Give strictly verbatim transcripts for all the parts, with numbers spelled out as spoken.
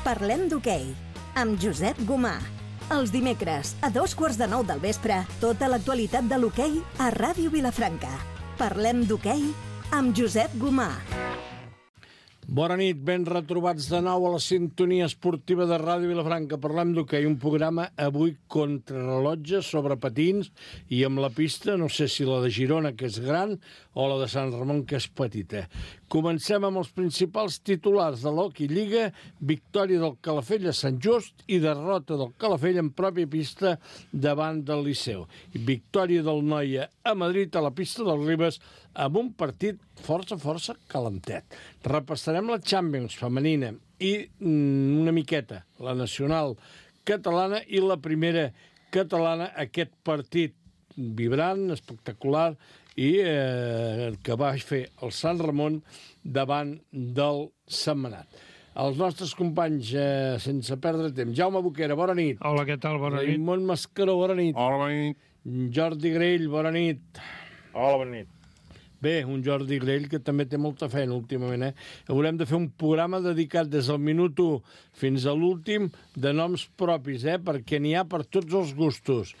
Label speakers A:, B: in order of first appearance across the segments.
A: Parlem d'hoquei, amb Josep Gomà. Els dimecres, a dos quarts de nou del vespre, tota l'actualitat de l'hoquei a Ràdio Vilafranca. Parlem d'hoquei amb Josep Gomà.
B: Bona nit, ben retrobats de nou a la sintonia esportiva de Ràdio Vilafranca. Parlem d'hoquei, un programa avui contrarrellotge sobre patins i amb la pista, no sé si la de Girona, que és gran, o la de Sant Ramon, que és petita. Comencem amb els principals titulars de l'Hockey Lliga: victòria del Calafell a Sant Just i derrota del Calafell en pròpia pista davant del Liceu. Victòria del Noia a Madrid a la pista del Ribes amb un partit força, força calentet. Repassarem la Champions femenina i mm, una miqueta la nacional catalana i la primera catalana, aquest partit vibrant, espectacular, i eh, que va fer el Sant Ramon davant del Sentmenat. Els nostres companys, eh, sense perdre temps. Jaume Boquera, bona nit.
C: Hola, què tal? Bona nit.
B: Raimon Mascaró, bona nit.
D: Hola, bona nit.
B: Jordi Grell, bona nit.
D: Hola, bona nit.
B: Bé, un Jordi Grell que també té molta feina últimament, eh? Haurem de fer un programa dedicat des del minut u fins a l'últim de noms propis, eh? Perquè n'hi ha per tots els gustos.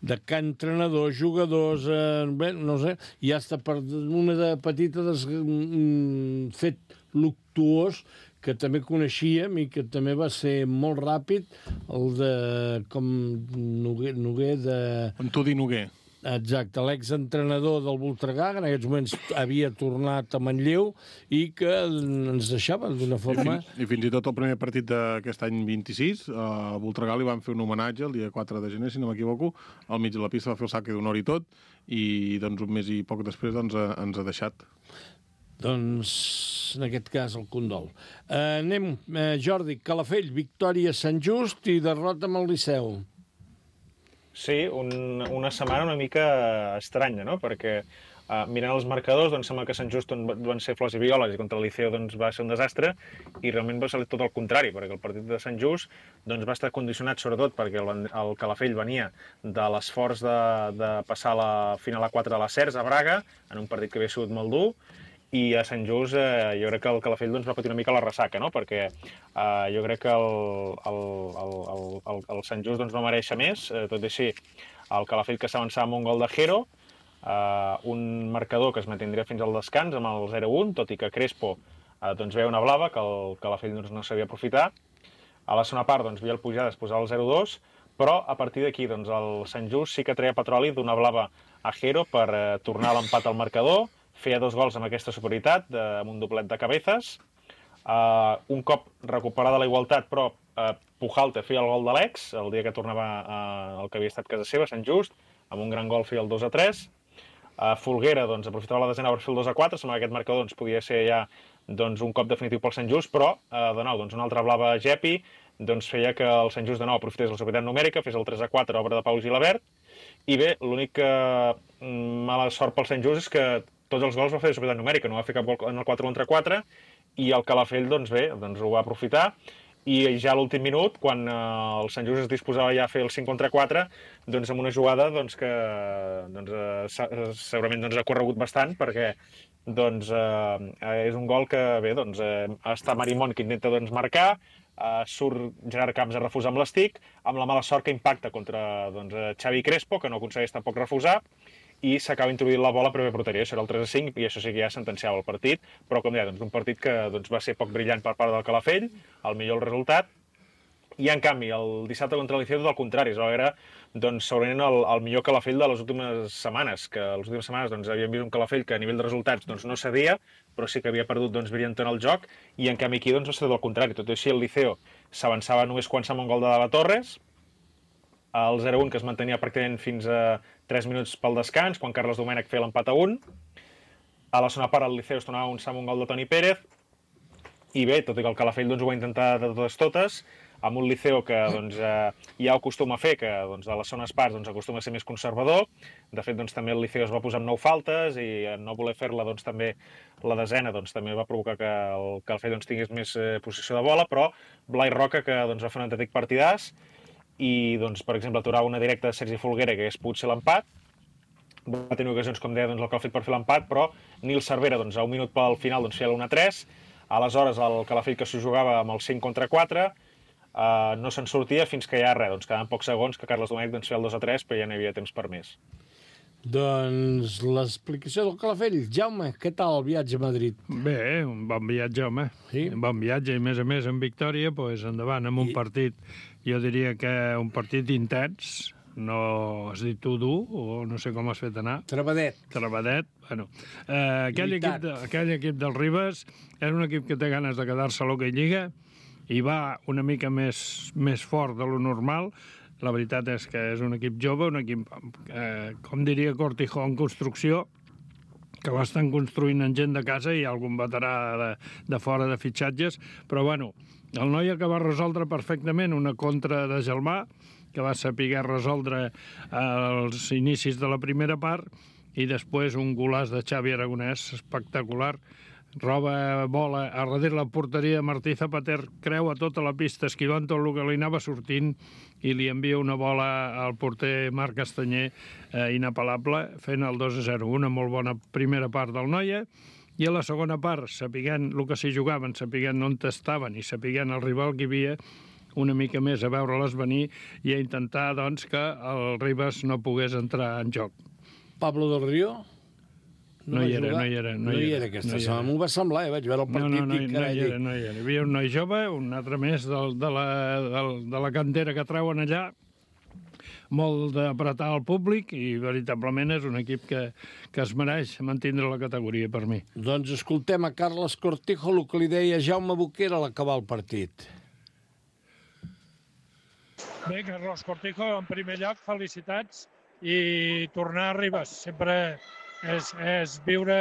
B: De que entrenadors, jugadors, eh, bé, no sé, i hasta per una de petita des, mm, fet luctuós que també coneixíem i que també va ser molt ràpid, el de com Noguer, Noguer de...
D: Antoni Noguer.
B: Exacte, l'exentrenador del Voltregà, que en aquests moments havia tornat a Manlleu i que ens deixava d'una forma...
D: I fins, I fins i tot el primer partit d'aquest any vint-i-sis, a Voltregà li van fer un homenatge el dia quatre de gener, si no m'equivoco, al mig de la pista va fer el saque d'honor i tot, i doncs un mes i poc després doncs, ens ha deixat.
B: Doncs, en aquest cas, el condol. Uh, anem, uh, Jordi, Calafell, victòria a Sant Just i derrota amb el Liceu.
E: Sí, un, una setmana una mica estranya, no? Perquè uh, mirant els marcadors, doncs sembla que Sant Just van ser flors i violes i contra el Liceu doncs, va ser un desastre, i realment va ser tot el contrari, perquè el partit de Sant Just doncs, va estar condicionat sobretot perquè el, el Calafell venia de l'esforç de, de passar la final a quatre de la Cers a Braga, en un partit que havia sigut molt dur, i a Sant Just eh, jo crec que el Calafell doncs, va patir una mica la ressaca, no? Perquè eh, jo crec que el, el, el, el, el Sant Just doncs, no mereix més, eh, tot i així el Calafell que s'avançava amb un gol de Jero, eh, un marcador que es mantindria fins al descans amb el zero un, tot i que Crespo eh, doncs, veia una blava que el Calafell doncs, no sabia aprofitar. A la segona part doncs, Biel Pujades posava el zero dos, però a partir d'aquí doncs, el Sant Just sí que treia petroli d'una blava a Jero per eh, tornar a l'empat al marcador. Feia dos gols amb aquesta superioritat, de, amb un doblet de cabezas. Uh, un cop recuperada la igualtat, però uh, Pujalte feia el gol de l'ex, el dia que tornava uh, el que havia estat casa seva, Sant Just, amb un gran gol feia el dos a tres. Uh, Folguera doncs, aprofitava la desena per fer el dos a quatre, sembla que aquest marcador doncs, podia ser ja doncs, un cop definitiu pel Sant Just, però uh, de nou, doncs, una altra blava Gepi doncs, feia que el Sant Just de nou aprofités la superioritat numèrica, fes el tres a quatre, obra de Pau Gilabert, i bé, l'única mm, mala sort pel Sant Just és que tots els gols va fer de superioritat numèrica, no va fer cap gol en el quatre contra quatre, i el Calafell doncs bé, doncs ho va aprofitar, i ja a l'últim minut, quan eh, el Sant Just es disposava ja a fer el cinc contra quatre, doncs amb una jugada doncs, que doncs, eh, segurament doncs, ha corregut bastant, perquè doncs, eh, és un gol que bé, doncs, eh, està Marimón que intenta doncs, marcar, eh, surt Gerard Camps a refusar amb l'estic, amb la mala sort que impacta contra doncs, Xavi Crespo, que no aconsegueix tampoc refusar, i s'acaba introduint la bola a primer porteria, això era el tres a cinc, i això sí que ja sentenciava el partit, però com deia, doncs, un partit que doncs, va ser poc brillant per part del Calafell, el millor el resultat, i en canvi, el dissabte contra el Liceu tot el contrari, es va veure doncs, segurament el, el millor Calafell de les últimes setmanes, que les últimes setmanes doncs, havíem vist un Calafell que a nivell de resultats doncs, no cedia, però sí que havia perdut doncs, brillant en el joc, i en canvi aquí doncs, va ser tot el contrari, tot i així el Liceu s'avançava només quan amb un gol de Dava Torres, el zero un que es mantenia pràcticament fins a tres minuts pel descans, quan Carles Domènech feia l'empat a un. A la segona part el Liceu es tornava un sam un gol de Toni Pérez, i bé, tot i que el Calafell doncs, ho va intentar de totes totes, amb un Liceu que doncs, eh, ja ho acostuma a fer, que doncs, a les segones parts doncs, acostuma a ser més conservador. De fet, doncs, també el Liceu es va posar amb nou faltes i en no voler fer-la doncs, també la desena doncs, també va provocar que el Calafell doncs, tingués més eh, possessió de bola, però Blai Roca, que doncs, va fer un autèntic partidàs, i, doncs, per exemple, aturava una directa de Sergi Folguera, que hagués pogut ser l'empat. Va tenir ocasions, com deia, doncs, el Calafell per fer l'empat, però Nil Cervera, doncs, a un minut pel final, doncs, feia l'un a tres. Aleshores, el Calafell que s'ho jugava amb el cinc contra quatre, uh, no se'n sortia fins que ja res, doncs quedaven pocs segons que Carles Domènech doncs, feia el dos a tres, però ja no hi havia temps per més.
B: Doncs l'explicació del Calafell. Jaume, què tal el viatge a Madrid?
C: Bé, un bon viatge, home.
B: Sí?
C: Un bon viatge, i a més a més en victòria, doncs endavant, amb un
B: I...
C: partit, jo diria que un partit intens, no has dit tu dur, o no sé com has fet anar.
B: Trebadet.
C: Trebadet, bueno. Eh, aquell, equip de, aquell equip del Ribes és un equip que té ganes de quedar-se a l'Hockey Lliga i va una mica més, més fort de lo normal. La veritat és que és un equip jove, un equip, eh, com diria Cortijo, en construcció, que l'estan construint en gent de casa i algun veterà de, de fora de fitxatges, però bueno, el Noia que va resoldre perfectament una contra de Gelmà, que va saber resoldre als inicis de la primera part, i després un golaç de Xavi Aragonès espectacular. Roba bola a darrere la porteria, Martí Zapater creua tota la pista, esquivant tot el que li anava sortint, i li envia una bola al porter Marc Castanyer, eh, inapel·lable, fent el dos a zero. Una molt bona primera part del Noia, i a la segona part, sapiguent el que s'hi jugaven, sapiguent on estaven i sapiguent el rival que hi havia, una mica més a veure-les venir i a intentar, doncs, que el Ribes no pogués entrar en joc.
B: Pablo del Río?
C: No, no hi era, no hi era.
B: No, no hi era aquesta setmana. M'ho va semblar, eh? Vaig veure el partit
C: no, no,
B: i
C: no,
B: carai...
C: No hi era, no hi era. Hi havia un noi jove, un altre més del, de, la, del, de la cantera que treuen allà, molt d'apretar el públic, i veritablement és un equip que, que es mereix mantindre la categoria per mi.
B: Doncs escoltem a Carles Cortijo el que li deia Jaume Boquera a l'acabar el partit.
F: Bé, Carlos Cortijo, en primer lloc, felicitats i tornar a Ribes. Sempre és, és viure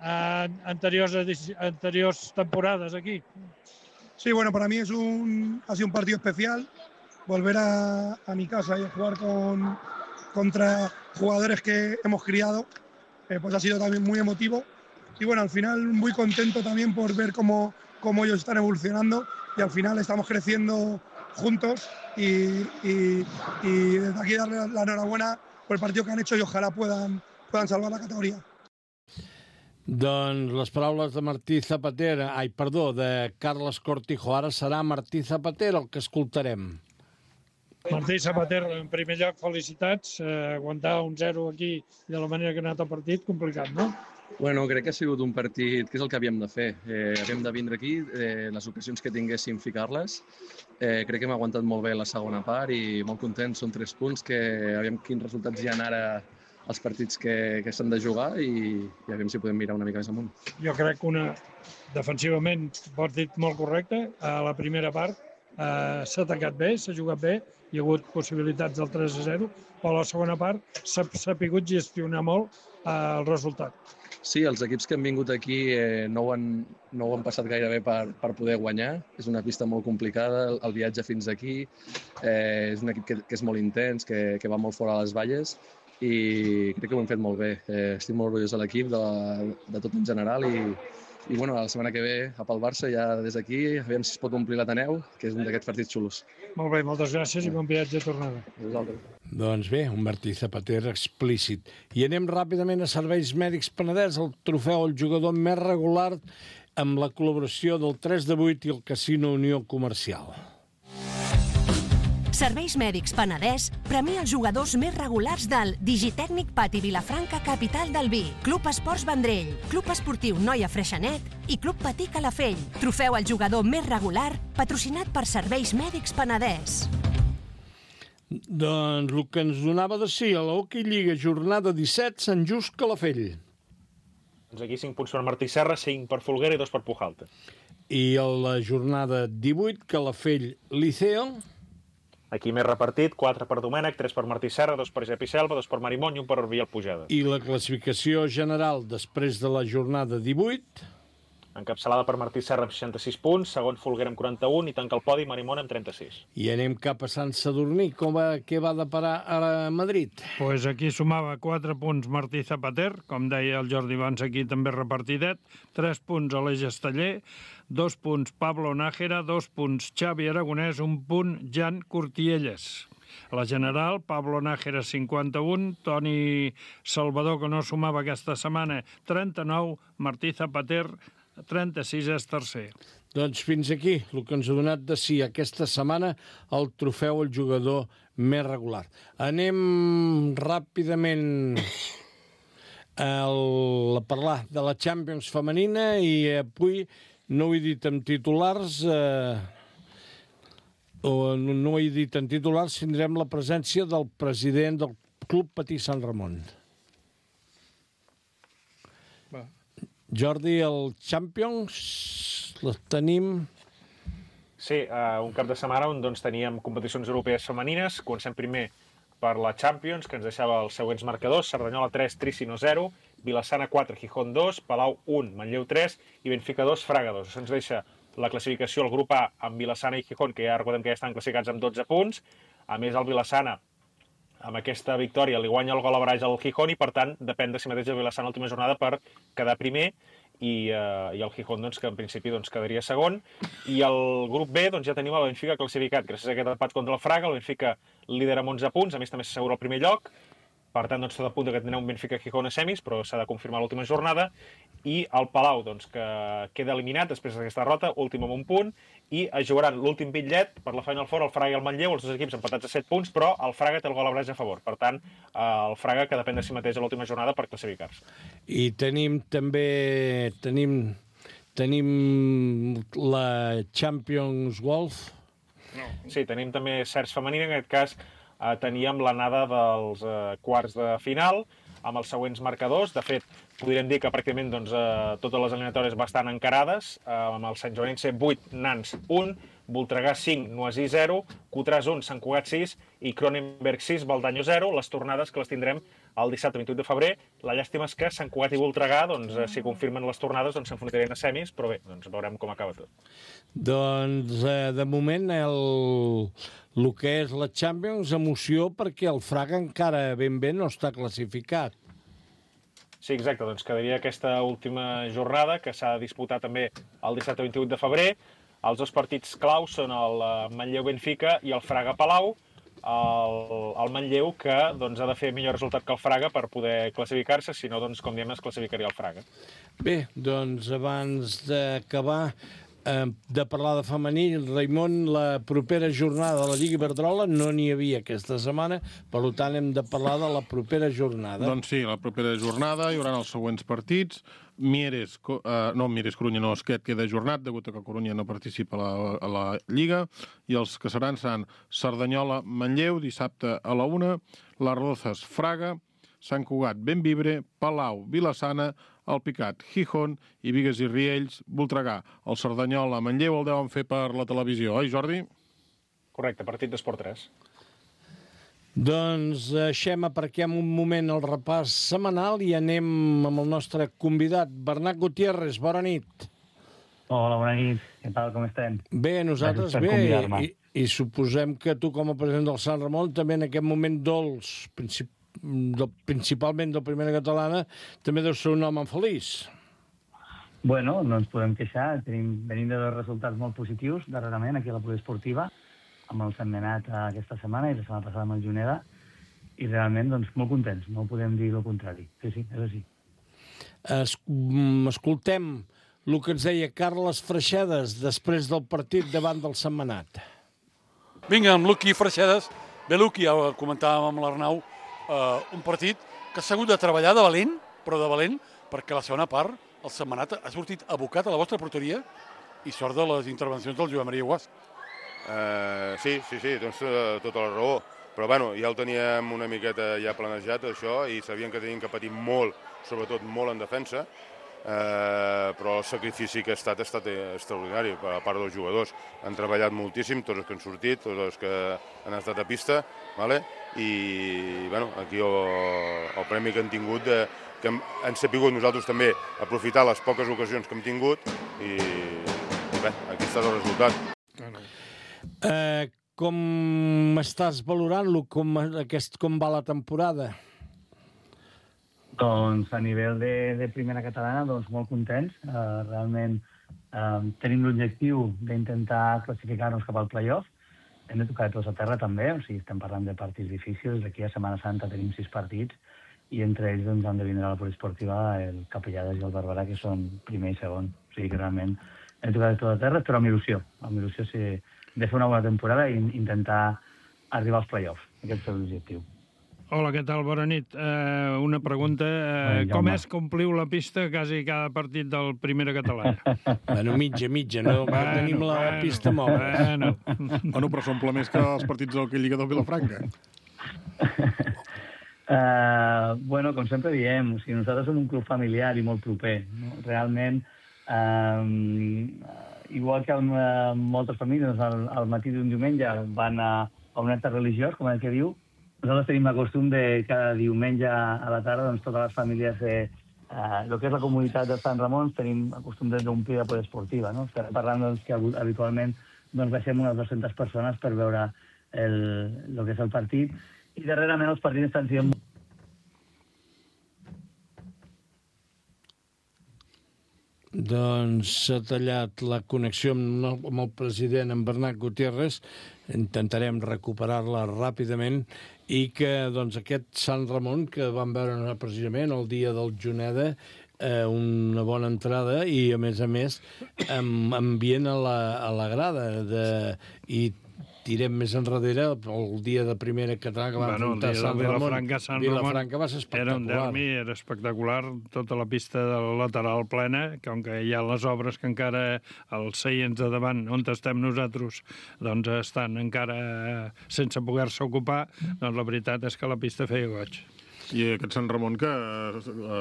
F: en anteriors, anteriors temporades aquí.
G: Sí, bueno, para mí es un, ha sido un partido especial. Volver a, a mi casa y a jugar con, contra jugadores que hemos criado, eh, pues ha sido también muy emotivo. Y bueno, al final muy contento también por ver cómo, cómo ellos están evolucionando y al final estamos creciendo juntos y, y, y desde aquí darle la enhorabuena por el partido que han hecho y ojalá puedan, puedan salvar la categoría.
B: Doncs les paraules de Martí Zapater, ai, perdó, de Carles Cortijo. Ara serà Martí Zapater el que escoltarem.
F: Martí Zapater, en primer lloc, felicitats. Eh, aguantar un zero aquí de la manera que ha anat el partit, complicat, no?
H: Bueno, crec que ha sigut un partit que és el que havíem de fer. Eh, havíem de vindre aquí, eh, les ocasions que tinguéssim ficar-les. Eh, crec que hem aguantat molt bé la segona part i molt contents. Són tres punts que aviam quins resultats hi ha ara els partits que, que s'han de jugar i, i aviam si podem mirar una mica més amunt.
F: Jo crec que una, defensivament, partit molt correcte. A la primera part eh, s'ha atacat bé, s'ha jugat bé, hi ha hagut possibilitats del tres a zero, però a la segona part s'ha sapigut gestionar molt eh, el resultat.
H: Sí, els equips que han vingut aquí eh, no, ho han, no ho han passat gaire bé per, per poder guanyar. És una pista molt complicada, el, el viatge fins aquí. Eh, és un equip que, que és molt intens, que, que va molt fora a les valles i crec que ho hem fet molt bé. Eh, estic molt orgullós de l'equip, de, de tot en general i, i bueno, la setmana que ve a pel Barça ja des d'aquí, aviam si es pot omplir l'Ateneu, que és un d'aquests partits xulos.
F: Molt bé, moltes gràcies i bon viatge de tornada.
B: Doncs bé, un Martí Zapater explícit. I anem ràpidament a Serveis Mèdics Penedès, el trofeu al jugador més regular amb la col·laboració del tres de vuit i el Casino Unió Comercial.
I: Serveis Mèdics Penedès premia els jugadors més regulars del Digitècnic Pati Vilafranca, capital del vi, Club Esports Vendrell, Club Esportiu Noia Freixenet i Club Patí Calafell. Trofeu al jugador més regular, patrocinat per Serveis Mèdics Penedès.
B: Doncs el que ens donava de sí a la Hockey Lliga, jornada disset, Sant Just Calafell.
E: Doncs aquí cinc punts per Martí Serra, cinc per Folguera i dos per Pujalta.
B: I a la jornada divuit, Calafell Liceo.
E: Aquí més repartit, quatre per Domènech, tres per Martí Serra, dos per Gep i Selva, dos per Marimón i un per Orbiel Pujada.
B: I la classificació general després de la jornada divuit.
E: Encapçalada per Martí Serra amb seixanta-sis punts, segon Folguera amb quaranta-un i tanca el podi Marimón amb trenta-sis.
B: I anem cap a Sant Sadurní. Com va, què va deparar a Madrid?
C: Pues aquí sumava quatre punts Martí Zapater, com deia el Jordi abans, aquí també repartidet, tres punts Aleix Esteller, dos punts Pablo Nájera, dos punts Xavi Aragonès, un punt Jan Cortielles. A la general, Pablo Nájera, cinquanta-un, Toni Salvador, que no sumava aquesta setmana, trenta-nou, Martí Zapater, trenta-sis és tercer.
B: Doncs fins aquí, el que ens ha donat de si aquesta setmana el trofeu al jugador més regular. Anem ràpidament el, a parlar de la Champions femenina i avui no ho he dit en titulars, eh, o no ho he dit en titulars, tindrem la presència del president del Club Patí Sant Ramon.
C: Va.
B: Jordi, el Champions, les tenim...
E: Sí, uh, un cap de setmana on doncs, teníem competicions europees femenines. Comencem primer per la Champions, que ens deixava els següents marcadors: Cerdanyola tres, Tricino zero, Vilassana quatre, Gijón dos, Palau un, Manlleu tres i Benfica dos, Fraga dos. Això ens deixa la classificació al grup A amb Vilassana i Gijón, que ja recordem que ja estan classificats amb dotze punts. A més, el Vilassana, amb aquesta victòria, li guanya el gol a barrage al Gijón i, per tant, depèn de si mateix el Vilassana a l'última jornada per quedar primer. I, uh, i el Gijón, doncs, que en principi doncs, quedaria segon. I el grup B doncs, ja tenim el Benfica classificat. Gràcies a aquest empat contra el Fraga, el Benfica lidera amb onze punts, a més també s'assegura el primer lloc. Per tant, doncs, tot a punt que tindrà un Benfica-Gijón a semis, però s'ha de confirmar l'última jornada. I el Palau, doncs, que queda eliminat després d'aquesta derrota, últim amb un punt, i es jugaran l'últim bitllet per la Final Four, el Fraga i el Manlleu, els dos equips empatats a set punts, però el Fraga té el gol a barrage a favor. Per tant, el Fraga que depèn de si mateix a l'última jornada per classificar-se.
B: I tenim també... tenim, tenim la Champions Golf.
E: No. Sí, tenim també certs femenina, en aquest cas eh, teníem l'anada dels eh, quarts de final, amb els següents marcadors. De fet, podríem dir que pràcticament doncs, eh, totes les eliminatòries bastant encarades, eh, amb el Sant Joanense vuit, Nans un, Voltregà cinc, Noisí zero, Cotràs un, Sant Cugat sis i Cronenberg sis, Baldanyo zero. Les tornades que les tindrem el dissabte vint-i-vuit de febrer. La llàstima és que Sant Cugat i Voltregà, doncs, eh, si confirmen les tornades, doncs s'enfrontarien a semis, però bé, doncs veurem com acaba tot.
B: Doncs, eh, de moment, el, el que és la Champions, emoció, perquè el Fraga encara ben bé no està classificat.
E: Sí, exacte, doncs quedaria aquesta última jornada, que s'ha de disputar també el dissabte vint-i-vuit de febrer. Els dos partits claus són el Manlleu-Benfica i el Fraga-Palau. El, el Manlleu, que doncs, ha de fer millor resultat que el Fraga per poder classificar-se, si no, doncs, com diem, es classificaria el Fraga.
B: Bé, doncs, abans d'acabar eh, de parlar de femení, Raimon, la propera jornada de la Lliga Iberdrola no n'hi havia aquesta setmana, per tant hem de parlar de la propera jornada.
D: Doncs sí, la propera jornada hi haurà els següents partits. Mieres, uh, no, Mieres Corunya no, es queda ajornat, degut a que Corunya no participa a la, a la Lliga, i els que seran seran Cerdanyola, Manlleu, dissabte a la una, Les Rozas, Fraga, Sant Cugat, Bentvibre, Palau, Vilassana, Alpicat, Gijón i Bigues i Riells, Voltregà. El Cerdanyola, Manlleu el deuen fer per la televisió, oi, Jordi?
E: Correcte, partit d'Esport tres.
B: Doncs deixem, aparquem un moment el repàs setmanal i anem amb el nostre convidat, Bernat Gutiérrez. Bona nit.
J: Hola, bona nit. Què tal, com estem?
B: Bé, nosaltres bé, i, i suposem que tu, com a president del Sant Ramon, també en aquest moment dolç, princip, del, principalment del Primera Catalana, també deu ser un home feliç.
J: Bueno, no ens podem queixar. Tenim, venim de dos resultats molt positius darrerament aquí a la poliesportiva, amb el Sentmenat aquesta setmana i la setmana passada amb el Juneda, i realment doncs, molt contents, no podem dir el contrari. Sí, sí, és així.
B: Es, escoltem el que ens deia Carles Freixedes després del partit davant del Sentmenat.
K: Vinga, amb Luqui Freixedes. Bé, Luqui, ja ho comentàvem amb l'Arnau, eh, un partit que s'ha hagut de treballar de valent, però de valent, perquè la segona part el Sentmenat ha sortit abocat a la vostra porteria i sort de les intervencions del Joan Maria Guas.
L: Uh, sí, sí, sí, tens uh, tota la raó. Però bueno, ja el teníem una miqueta ja planejat, això, i sabíem que teníem que patir molt, sobretot molt en defensa, uh, però el sacrifici que ha estat ha estat extraordinari per a part dels jugadors. Han treballat moltíssim, tots els que han sortit, tots els que han estat a pista, vale? I bueno, aquí el, el premi que han tingut, de, que hem, hem sapigut nosaltres també aprofitar les poques ocasions que hem tingut, i, i bé, aquí està el resultat.
B: Eh, com estàs valorant-lo? Com, aquest, com va la temporada?
J: Doncs a nivell de, de primera catalana, doncs molt contents. Uh, realment uh, tenim l'objectiu d'intentar classificar-nos cap al playoff. Hem de tocar de tots a terra també, o sigui, estem parlant de partits difícils. D'aquí a Setmana Santa tenim sis partits i entre ells doncs, han de vindre a la poliesportiva el Capellades i el Barberà, que són primer i segon. O sigui que realment he tocat de tot a terra, però amb il·lusió. Amb il·lusió sí, de fer una bona temporada i intentar arribar als play-offs. Aquest és l'objectiu.
C: Hola, què tal? Bona nit. Uh, una pregunta. Uh, com és que ompliu la pista quasi cada partit del Primera Catalana?
B: Bueno, mitja, mitja, no? Bueno, tenim la bueno, pista mòbil.
C: Bueno.
D: Bueno, però s'omple més que els partits del Lliga del Vilafranca.
J: Uh, bueno, com sempre diem, o sigui, nosaltres som un club familiar i molt proper. No? Realment, uh, igual que en uh, moltes famílies, al, al matí d'un diumenge van a, a un acte religiós, com el que diu, nosaltres tenim el costum de cada diumenge a la tarda, doncs totes les famílies de uh, el que és la comunitat de Sant Ramon, tenim el costum d'omplir la poliesportiva, no? Estem parlant doncs, que habitualment doncs, baixem unes dues-centes persones per veure el, el que és el partit, i darrerament els partits estan sent...
B: Doncs s'ha tallat la connexió amb, amb el president, en Bernat Gutiérrez. Intentarem recuperar-la ràpidament i que doncs, aquest Sant Ramon, que vam veure precisament el dia del Juneda, eh, una bona entrada i, a més a més, amb ambient a la, a la grada. De, I tirem més enrere el dia de Primera Catalana que va
C: bueno,
B: enfrontar Sant Ramon.
C: Vilafranca, Sant
B: Vilafranca
C: Ramon
B: va ser espectacular.
C: Era un derbi, era espectacular, tota la pista del lateral plena, com que hi ha les obres que encara els seients de davant, on estem nosaltres, doncs estan encara sense poder-se ocupar, doncs la veritat és que la pista feia goig.
D: I aquest Sant Ramon que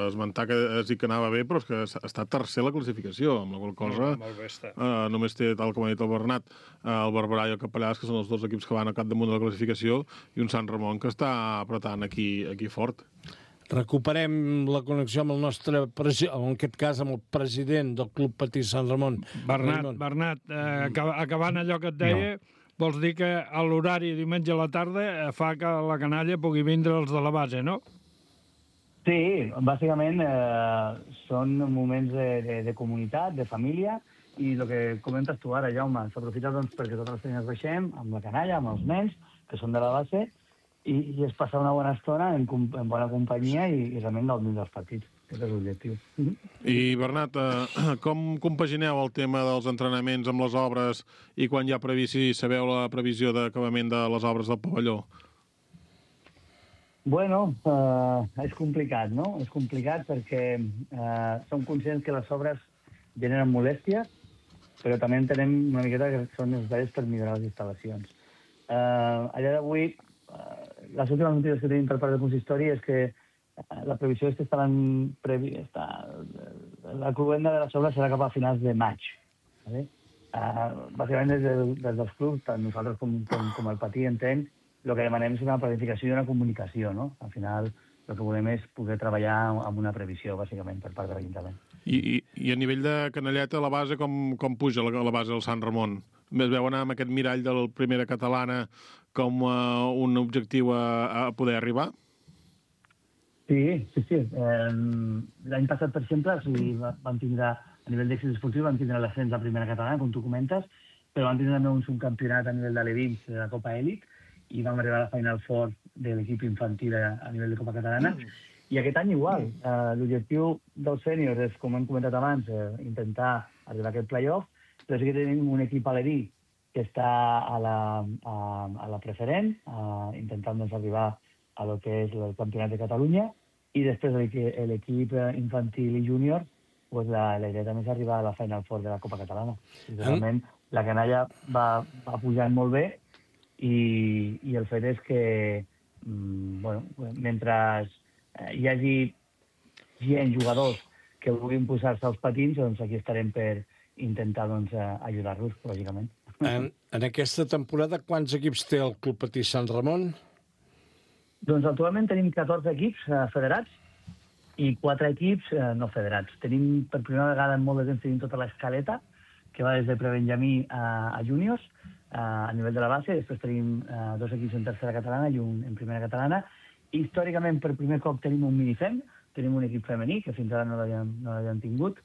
D: esmentar que es dit que anava bé, però és que està tercer la classificació, amb la qual cosa
C: molt bé està.
D: Eh, només té, tal com ha dit el Bernat, eh, el Barberà i el Capellàs, que són els dos equips que van a capdamunt de la classificació, i un Sant Ramon que està apretant aquí, aquí fort.
B: Recuperem la connexió amb el nostre, en aquest cas amb el president del Club Patí Sant Ramon.
C: Bernat, Bernat eh, acabant allò que et deia, no. Vols dir que a l'horari diumenge a la tarda fa que la canalla pugui vindre els de la base, no?
J: Sí, bàsicament eh, són moments de, de, de comunitat, de família, i el que comentes tu ara, Jaume, s'aprofita doncs, perquè totes les feines baixem, amb la canalla, amb els nens, que són de la base, i, i es passa una bona estona en, en bona companyia i, i realment gaudim dels partits. Aquest és l'objectiu.
D: I, Bernat, eh, com compagineu el tema dels entrenaments amb les obres i quan hi ha previst, si sabeu la previsió d'acabament de les obres del pavelló?
J: Bueno, eh, és complicat, no? És complicat perquè eh, som conscients que les obres generen molèsties, però també entenem una miqueta que són necessaris per millorar les instal·lacions. Eh, a dia d'avui, eh, les últimes notícies que tenim per part del consistori és que la previsió és que estaran previ... Està... la cluenda de les obres serà cap a finals de maig. Vale? Uh, bàsicament, des, de, des dels clubs, tant nosaltres com, com, com el Patí, entenc, el que demanem és una planificació i una comunicació, no? Al final, el que volem és poder treballar amb una previsió, bàsicament, per part de l'Ajuntament.
D: I, i, I a nivell de canalleta, la base, com, com puja la, la base del Sant Ramon? Es veu anar amb aquest mirall de la Primera Catalana com uh, un objectiu a, a poder arribar?
J: Sí, sí, sí. Eh, L'any passat, per exemple, sí, vam tindre, a nivell d'èxit esportiu, vam tindre l'ascens de la Primera Catalana, com tu comentes, però vam tindre també un subcampionat a nivell de l'Evins, de la Copa Elit, i vam arribar a la Final Four de l'equip infantil a, a nivell de Copa Catalana. Mm. I aquest any igual. Eh, L'objectiu dels sèniors és, com hem comentat abans, eh, intentar arribar a aquest play-off, però sí que tenim un equip alerí que està a la, a, a la preferent, eh, intentant doncs, arribar a lo que és el Campionat de Catalunya, i després l'equip infantil i júnior, pues la, la idea també és arribar a la Final Four de la Copa Catalana. I realment la canalla va, va pujant molt bé i, i el fet és que mm, bueno, mentre hi hagi gent, jugadors, que vulguin posar-se als patins, doncs aquí estarem per intentar doncs, ajudar-los, lògicament.
B: En, en aquesta temporada, quants equips té el Club Patí Sant Ramon?
J: Doncs actualment tenim catorze equips eh, federats i quatre equips eh, no federats. Tenim, per primera vegada en molt de temps, tenim tota l'escaleta, que va des de prebenjamí a, a júniors, eh, a nivell de la base. Després tenim eh, dos equips en tercera catalana i un en primera catalana. Històricament, per primer cop, tenim un minifem, tenim un equip femení, que fins ara no l'havíem no tingut,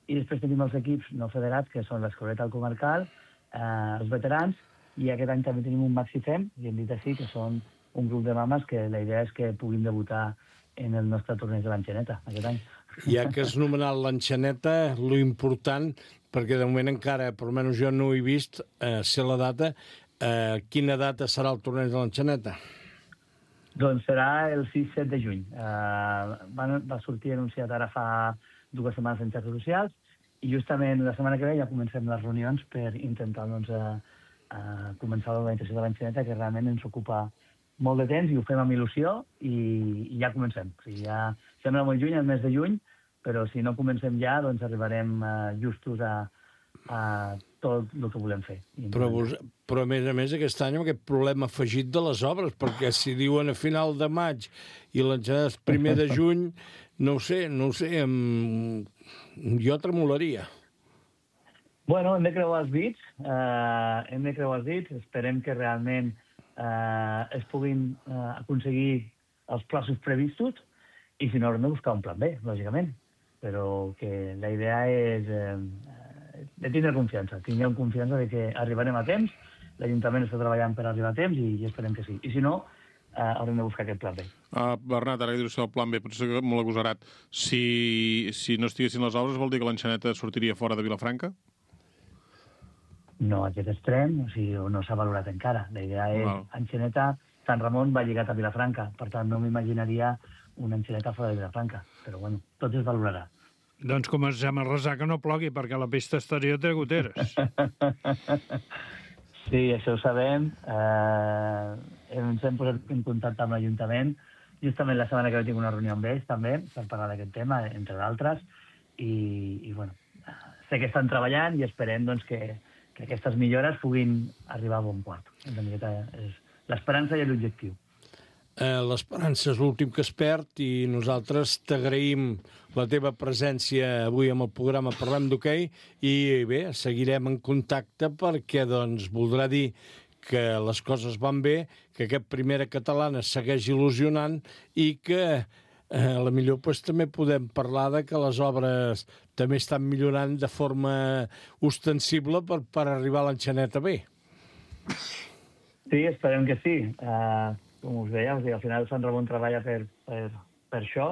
J: i després tenim els equips no federats, que són l'Escoleta, el Comarcal, eh, els veterans, i aquest any també tenim un maxifem, i hem dit així, que són un grup de mames que la idea és que puguin debutar en el nostre torneig de l'Enxaneta aquest any.
B: Ja que has nomenat l'enxaneta, lo important, perquè de moment encara, per almenys jo no ho he vist, eh, sé la data, eh, quina data serà el torneig de l'enxaneta?
J: Doncs serà el sis set de juny. Uh, va, va sortir anunciat ara fa dues setmanes en xarxes socials i justament la setmana que ve ja comencem les reunions per intentar doncs, uh, uh, començar l'organització de l'enxaneta, que realment ens ocupa molt de temps i ho fem amb il·lusió i, i ja comencem. O sigui, ja sembla molt lluny, el mes de juny, però si no comencem ja, doncs arribarem uh, justos a, a tot el que volem fer.
B: Però, vos, però a més a més aquest any amb aquest problema afegit de les obres, perquè si diuen a final de maig i l'enxaneta és primer de juny, no ho sé, no ho sé, em... jo tremolaria.
J: Bueno, hem de creuar els dits, uh, hem de creuar els dits, esperem que realment uh, es puguin uh, aconseguir els plaços previstos i si no haurem de buscar un plan B, lògicament. Però que la idea és eh, de tindre confiança. Tinguem confiança de que arribarem a temps, l'Ajuntament està treballant per arribar a temps i, i esperem que sí. I si no, eh, haurem de buscar aquest plan B.
D: Uh, Bernat, ara que dius el plan B, potser que molt agosarat. Si, si no estiguessin les obres, vol dir que l'enxaneta sortiria fora de Vilafranca?
J: No, aquest extrem, o sigui, no s'ha valorat encara. La idea és, wow. Enxaneta, Sant Ramon va lligat a Vilafranca, per tant no m'imaginaria una enxaneta fora de Vilafranca, però bueno, tot es valorarà.
C: Doncs comencem a resar que no plogui, perquè la pista exterior té goteres.
J: Sí, això ho sabem. Eh, ens hem posat en contacte amb l'Ajuntament. Justament la setmana que ve tinc una reunió amb ells, també, per parlar d'aquest tema, entre d'altres, i, i bueno, sé que estan treballant i esperem doncs, que, que aquestes millores puguin arribar a bon port. L'esperança i l'objectiu.
B: Eh, L'esperança és l'últim que es perd i nosaltres t'agraïm la teva presència avui amb el programa Parlem d'Hoquei i bé, seguirem en contacte perquè doncs voldrà dir que les coses van bé, que aquest Primera Catalana segueix il·lusionant i que eh, a la millor pues, també podem parlar de que les obres també estan millorant de forma ostensible per, per arribar a l'enxaneta bé.
J: Sí, esperem que sí. Uh... Com us deia, o sigui, al final Sant Ramon treballa per, per, per això,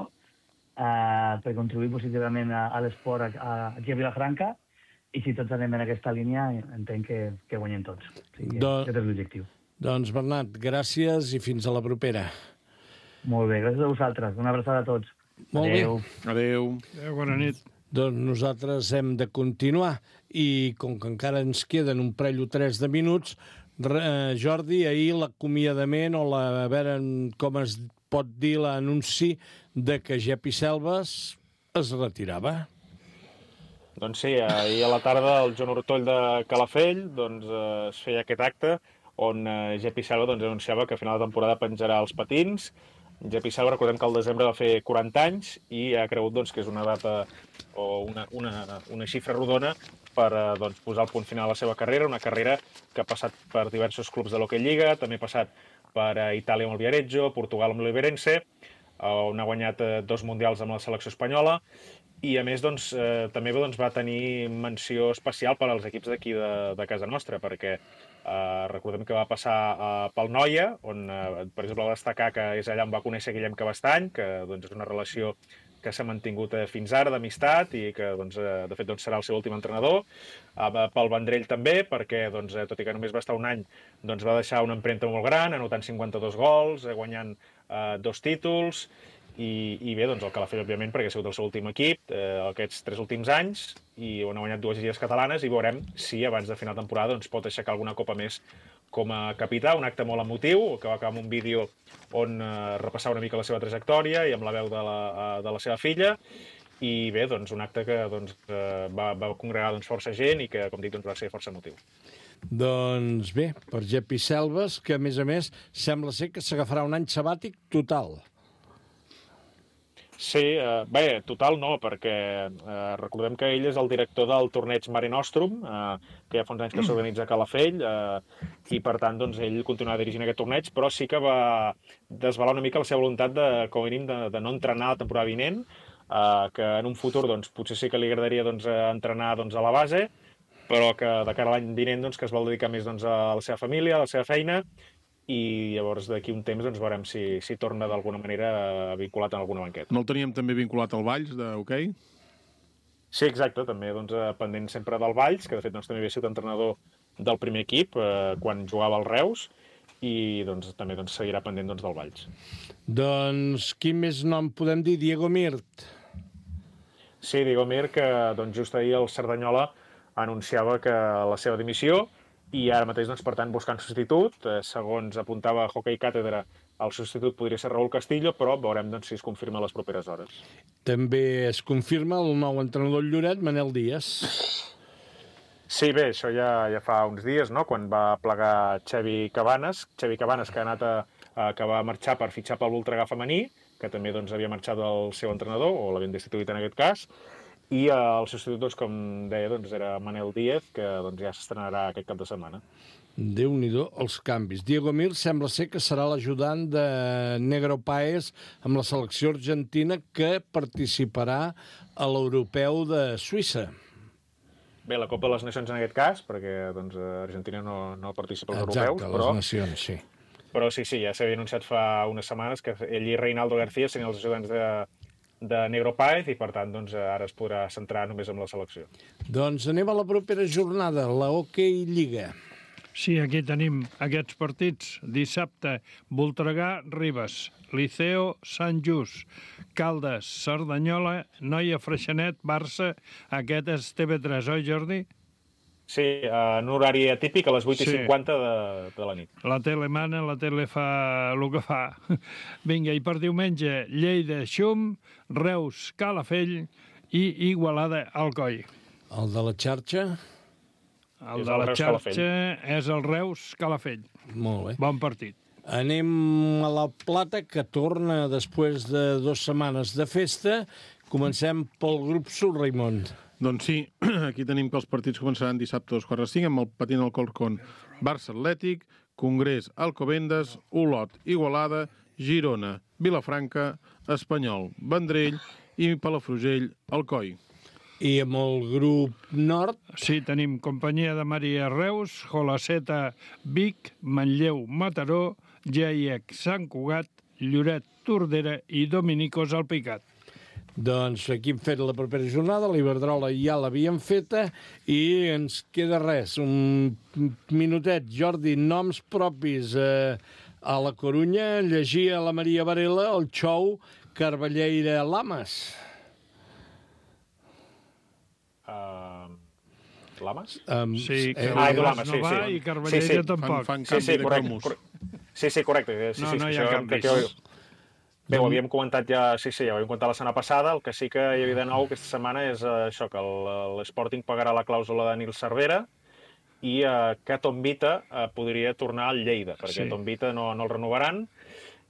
J: eh, per contribuir positivament a, a l'esport a, a, aquí a Vilafranca, i si tots anem en aquesta línia, entenc que, que guanyem tots. O sigui, Do... Aquest és l'objectiu.
B: Doncs, Bernat, gràcies i fins a la propera.
J: Molt bé, gràcies a vosaltres. Una abraçada a tots.
B: Molt
J: Adeu.
B: bé.
D: Adéu.
C: Adéu, bona nit.
B: Doncs nosaltres hem de continuar i com que encara ens queden un parell o tres de minuts, Jordi, ahir l'acomiadament o la, a veure com es pot dir l'anunci de que Gepi Selves es retirava.
E: Doncs sí, ahir a la tarda el Joan Ortoll de Calafell doncs, eh, es feia aquest acte on eh, Gepi Selva doncs, anunciava que a final de temporada penjarà els patins. Gepi Selva, recordem que al desembre va fer quaranta anys i ha cregut doncs, que és una data o una, una, una xifra rodona per doncs, posar el punt final a la seva carrera, una carrera que ha passat per diversos clubs de l'Hockey Lliga, també ha passat per Itàlia amb el Viareggio, Portugal amb l'Oliveirense, on ha guanyat dos mundials amb la selecció espanyola, i a més doncs, eh, també doncs, va tenir menció especial per als equips d'aquí de, de casa nostra, perquè eh, recordem que va passar eh, pel Noia, on, eh, per exemple, va destacar que és allà on va conèixer Guillem Cabestany, que doncs, és una relació que s'ha mantingut fins ara d'amistat i que, doncs, de fet, doncs, serà el seu últim entrenador. Pel Vendrell també, perquè, doncs, tot i que només va estar un any, doncs, va deixar una empremta molt gran, anotant cinquanta-dos gols, guanyant eh, dos títols, i, i bé, doncs, el Calafell, òbviament, perquè ha sigut el seu últim equip eh, aquests tres últims anys, i on ha guanyat dues lligues catalanes, i veurem si abans de final de temporada doncs, pot aixecar alguna copa més com a capità, un acte molt emotiu, que va acabar amb un vídeo on eh, repassava una mica la seva trajectòria i amb la veu de la, uh, de la seva filla, i bé, doncs, un acte que doncs, uh, va, va congregar doncs, força gent i que, com dic, doncs, va ser força emotiu.
B: Doncs bé, per Gepi Selves, que a més a més sembla ser que s'agafarà un any sabàtic total.
E: Sí, eh, bé, total no, perquè eh, recordem que ell és el director del torneig Mare Nostrum, eh, que ja fa uns anys que s'organitza a Calafell, eh, i per tant doncs, ell continuarà dirigint aquest torneig, però sí que va desvelar una mica la seva voluntat de, com a mínim, de, de no entrenar la temporada vinent, eh, que en un futur doncs, potser sí que li agradaria doncs, entrenar doncs, a la base, però que de cara a l'any vinent doncs, que es vol dedicar més doncs, a la seva família, a la seva feina, i llavors d'aquí un temps doncs, veurem si, si torna d'alguna manera vinculat en alguna banqueta.
D: No el teníem també vinculat al Valls, d'hoquei?
E: Sí, exacte, també doncs, pendent sempre del Valls, que de fet doncs, també havia sigut entrenador del primer equip eh, quan jugava al Reus, i doncs, també doncs, seguirà pendent doncs, del Valls.
B: Doncs quin més nom podem dir? Diego Mirt.
E: Sí, Diego Mirt, que doncs, just ahir el Cerdanyola anunciava que la seva dimissió, i ara mateix, doncs, per tant, buscant substitut. Eh, segons apuntava Hockey Càtedra, el substitut podria ser Raúl Castillo, però veurem doncs, si es confirma a les properes hores.
B: També es confirma el nou entrenador Lloret, Manel Díaz.
E: Sí, bé, això ja, ja fa uns dies, no?, quan va plegar Xavi Cabanes, Xavi Cabanes, que ha anat a, a, que va marxar per fitxar pel Voltregà femení, que també doncs, havia marxat el seu entrenador, o l'havien destituït en aquest cas, i el substitut, doncs, com deia, doncs, era Manel Díaz, que doncs, ja s'estrenarà aquest cap de setmana.
B: Déu-n'hi-do els canvis. Diego Mir sembla ser que serà l'ajudant de Negro Páez amb la selecció argentina que participarà a l'europeu de Suïssa.
E: Bé, la Copa de les Nacions en aquest cas, perquè doncs, Argentina no, no participa als
B: Exacte,
E: europeus,
B: les
E: però...
B: nacions, sí.
E: Però sí, sí, ja s'havia anunciat fa unes setmanes que ell i Reinaldo García serien els ajudants de, de Negro Páez i, per tant, doncs, ara es podrà centrar només en la selecció.
B: Doncs anem a la propera jornada, la Hockey Lliga.
C: Sí, aquí tenim aquests partits. Dissabte, Voltregà, Ribes, Liceo, Sant Just, Caldes, Cerdanyola, Noia, Freixenet, Barça. Aquest és T V tres, oi, Jordi?
E: Sí, en un horari atípic a les vuit i cinquanta de, de la nit.
C: La tele mana, la tele fa el que fa. Vinga, i per diumenge, Lleida, Xum, Reus, Calafell i Igualada, Alcoi.
B: El de la xarxa?
C: El de la xarxa és el Reus, Calafell.
B: Molt bé.
C: Bon partit.
B: Anem a la Plata, que torna després de dues setmanes de festa. Comencem pel grup Sud, Raimon.
D: Doncs sí, aquí tenim que els partits començaran dissabte a dos quarts de cinc amb el patint al Corcón, Barça Atlètic, Congrés Alcobendas, Olot Igualada, Girona, Vilafranca, Espanyol, Vendrell i Palafrugell, Alcoi.
B: I amb el grup nord?
C: Sí, tenim Companyia de Maria Reus, Jolaceta Vic, Manlleu Mataró, Giaiec Sant Cugat, Lloret Tordera i Dominicos Alpicat.
B: Doncs aquí hem fet la propera jornada, l'Iberdrola ja l'havíem feta i ens queda res, un minutet. Jordi, noms propis eh, a la Corunya, llegia la Maria Varela, el xou Carballeira Lamas.
E: Uh, Lamas?
B: Um,
C: sí,
E: eh, ah, Lamas,
C: no
E: sí,
C: va
E: sí.
C: i Carballeira
E: sí, sí.
C: tampoc.
D: Fan, fan
E: sí, sí,
D: canvi de
E: correcte,
D: cromos.
E: correcte. Sí, sí, correcte. Sí,
C: no,
E: sí,
C: no hi
E: això,
C: ha canvis.
E: que, bé, ho havíem comentat ja, sí, sí, ja ho havíem comentat la setmana passada, el que sí que hi havia de nou aquesta setmana és uh, això, que l'Sporting pagarà la clàusula de Nil Cervera i uh, que Tom Vita uh, podria tornar al Lleida, perquè sí. Tom Vita no, no el renovaran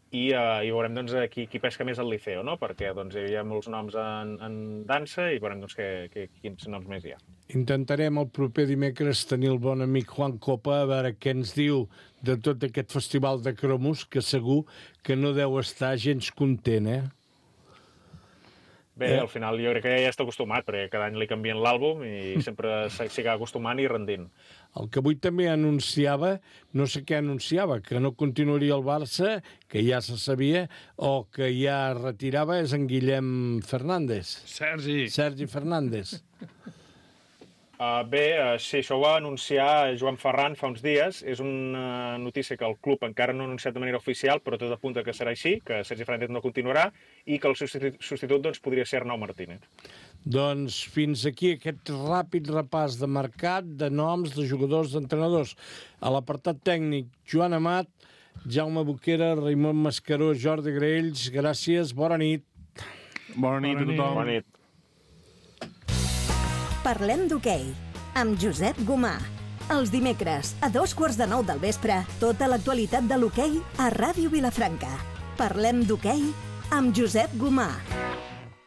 E: i, uh, i veurem doncs, qui, qui pesca més al Liceo, no? Perquè doncs, hi havia molts noms en, en dansa i veurem doncs, que, que, quins noms més hi ha.
B: Intentarem el proper dimecres tenir el bon amic Juan Copa a veure què ens diu de tot aquest festival de cromos, que segur que no deu estar gens content, eh?
E: Bé, eh? Al final jo crec que ja està acostumat, perquè cada any li canvien l'àlbum i sempre s'hi acaba acostumant i rendint.
B: El que avui també anunciava, no sé què anunciava, que no continuaria el Barça, que ja se sabia, o que ja retirava, és en Guillem Fernández.
C: Sergi.
B: Sergi Fernández.
E: Uh, bé, uh, sí, això ho va anunciar Joan Ferran fa uns dies. És una notícia que el club encara no ha anunciat de manera oficial, però tot apunta que serà així, que Sergi Fernández no continuarà i que el substitut, substitut doncs, podria ser Arnau Martínez.
B: Doncs fins aquí aquest ràpid repàs de mercat, de noms, de jugadors, d'entrenadors. A l'apartat tècnic, Joan Amat, Jaume Boquera, Raimon Mascaró, Jordi Graells, gràcies, bona nit.
D: Bona nit a tothom.
E: Bona nit.
A: Parlem d'hoquei, amb Josep Gomà. Els dimecres, a dos quarts de nou del vespre, tota l'actualitat de l'hoquei a Ràdio Vilafranca. Parlem d'hoquei amb Josep Gomà.